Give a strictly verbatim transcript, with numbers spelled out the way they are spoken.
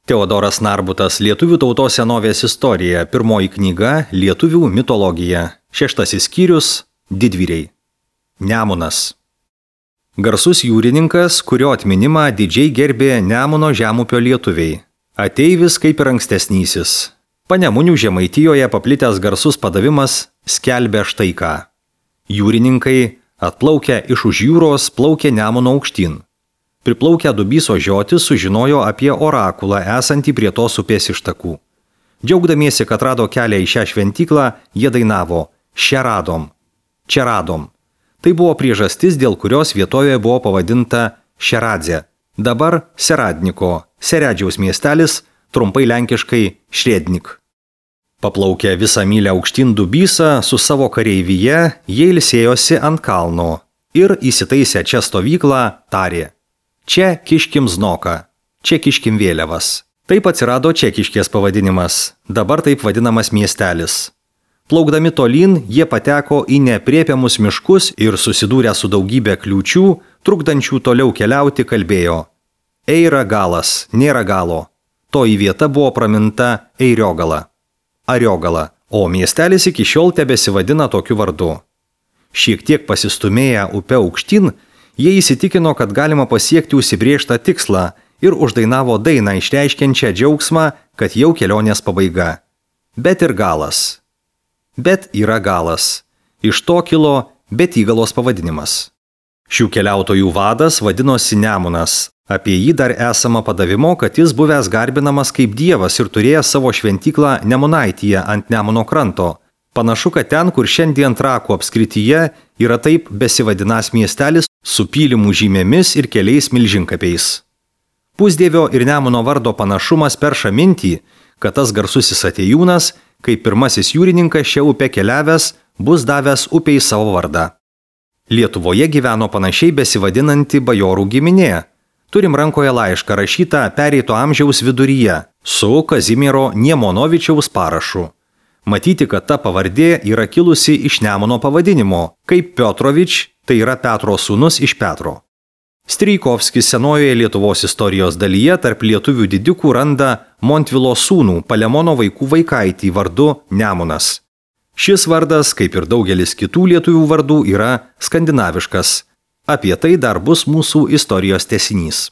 Teodoras Narbutas, Lietuvių tautos senovės istorija, pirmoji knyga, Lietuvių mitologija, šeštasis skyrius, didvyriai. Nemunas. Garsus jūrininkas, kurio atminimą didžiai gerbė Nemuno žemupio lietuviai. Ateivis kaip ir ankstesnysis. Panemunių Žemaitijoje paplitęs garsus padavimas skelbia štai ką. Jūrininkai, atplaukę iš už jūros, plaukė Nemuno aukštyn. Priplaukę Dubyso žiotis sužinojo apie orakulą esantį prie tos upės ištakų. Džiaugdamiesi, kad rado kelią į šią šventyklą, jie dainavo "Čia radom, čia radom". Tai buvo priežastis, dėl kurios vietovė buvo pavadinta Šeradzė, dabar Seradniko, Seredžiaus miestelis, trumpai lenkiškai Šrednik. Paplaukę visą mylę aukštyn Dubysą su savo kareivyje, jie ilsėjosi ant kalno ir įsitaisę čia stovyklą tarė: "Čia kiškim znoką, čia kiškim vėliavas". Taip atsirado Čekiškės pavadinimas, dabar taip vadinamas miestelis. Plaukdami tolyn, jie pateko į nepriepiamus miškus ir susidūrę su daugybė kliūčių, trukdančių toliau keliauti, kalbėjo: "Eira galas, nėra galo". Toji vieta buvo praminta Eiriogala, Ariogala, o miestelis iki šiol tebesivadina tokiu vardu. Šiek tiek pasistumėję upe aukštyn, jie įsitikino, kad galima pasiekti užsibrėžtą tikslą ir uždainavo dainą išreiškiančią džiaugsmą, kad jau kelionės pabaiga. Bet ir galas. Bet yra galas. Iš to kilo Betygalos pavadinimas. Šių keliautojų vadas vadinosi Nemunas. Apie jį dar esama padavimo, kad jis buvęs garbinamas kaip dievas ir turėjęs savo šventyklą Nemunaityje ant Nemuno kranto. Panašu, kad ten, kur šiandien Trakų apskrityje, yra taip besivadinas miestelis su pylimų žymėmis ir keliais milžinkapiais. Pusdievio ir Nemuno vardo panašumas perša mintį, kad tas garsusis atėjūnas, kaip pirmasis jūrininkas šią upę keliavęs, bus davęs upei savo vardą. Lietuvoje gyveno panašiai besivadinanti bajorų giminė. Turim rankoje laišką rašytą pereito amžiaus viduryje su Kazimiero Niemonovičiaus parašu. Matyti, kad ta pavardė yra kilusi iš Nemuno pavadinimo, kaip Piotrovič, tai yra Petro sūnus iš Petro. Strijkovskis senojoje Lietuvos istorijos dalyje tarp lietuvių didikų randa Montvilo sūnų Palemono vaikų vaikaitį vardu Nemunas. Šis vardas, kaip ir daugelis kitų lietuvių vardų, yra skandinaviškas. Apie tai dar bus mūsų istorijos tęsinys.